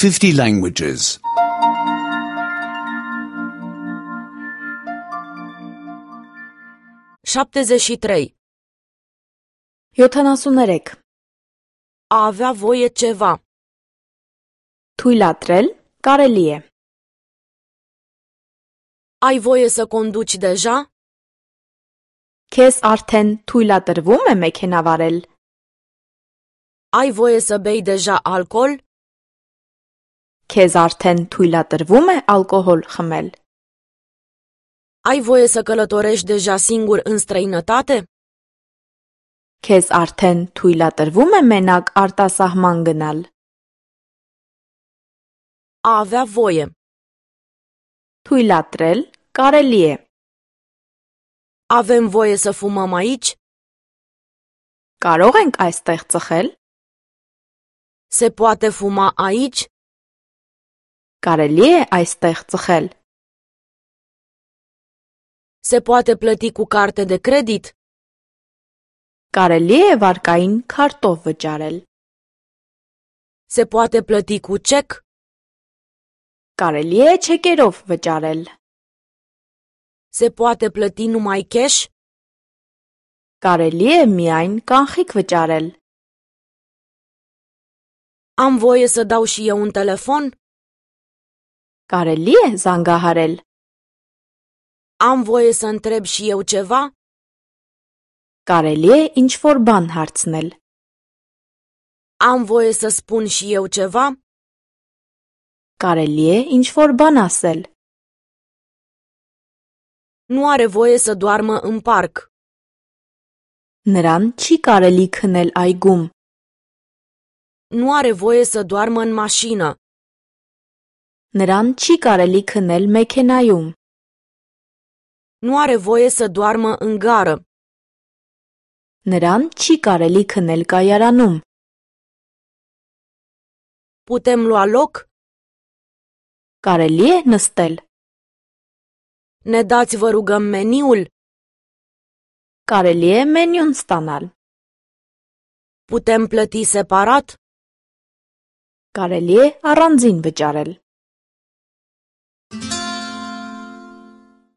50 languages. 73. 73. A avea voie ceva. Թույլատրել կարելի է. Ai voie să conduci deja? Քեզ արդեն թույլատրվում է մեքենա վարել. Ai voie să bei deja alcool? Քեզ արդեն թույլատրվում է ալկոհոլ խմել. Ai voie să călătorești deja singur în străinătate? Քեզ արդեն թույլատրվում է մենակ արտասահման գնալ. A avea voie. Թույլատրել կարելի է. Avem voie să fumăm aici? Կարող ենք այստեղ ծխել? Se poate fuma aici? Կարելի է այստեղ ծխել? Se poate plăti cu carte de credit? Կարելի է վարկային քարտով վճարել? Se poate plăti cu cec? Կարելի է չեկերով վճարել? Se poate plăti numai cash? Կարելի է միայն կանխիկ վճարել? Am voie să dau și eu un telefon? Կարելի է զանգահարել? Am voie să întreb și eu ceva? Կարելի է ինչ-որ բան հարցնել? Am voie să spun și eu ceva? Կարելի է ինչ-որ բան ասել? Nu are voie să doarmă în parc. Նրան չի կարելի քնել այգում. Nu are voie să doarmă în mașină. Նրան չի կարելի քնել մեքենայում. Nu are voie să doarmă în gară. Նրան չի կարելի քնել կայարանում. Putem lua loc? Կարելի է նստել? Ne dați, vă rugăm, meniul? Կարելի է մենյուն ստանալ? Putem plăti separat? Կարելի է առանձին վճարել?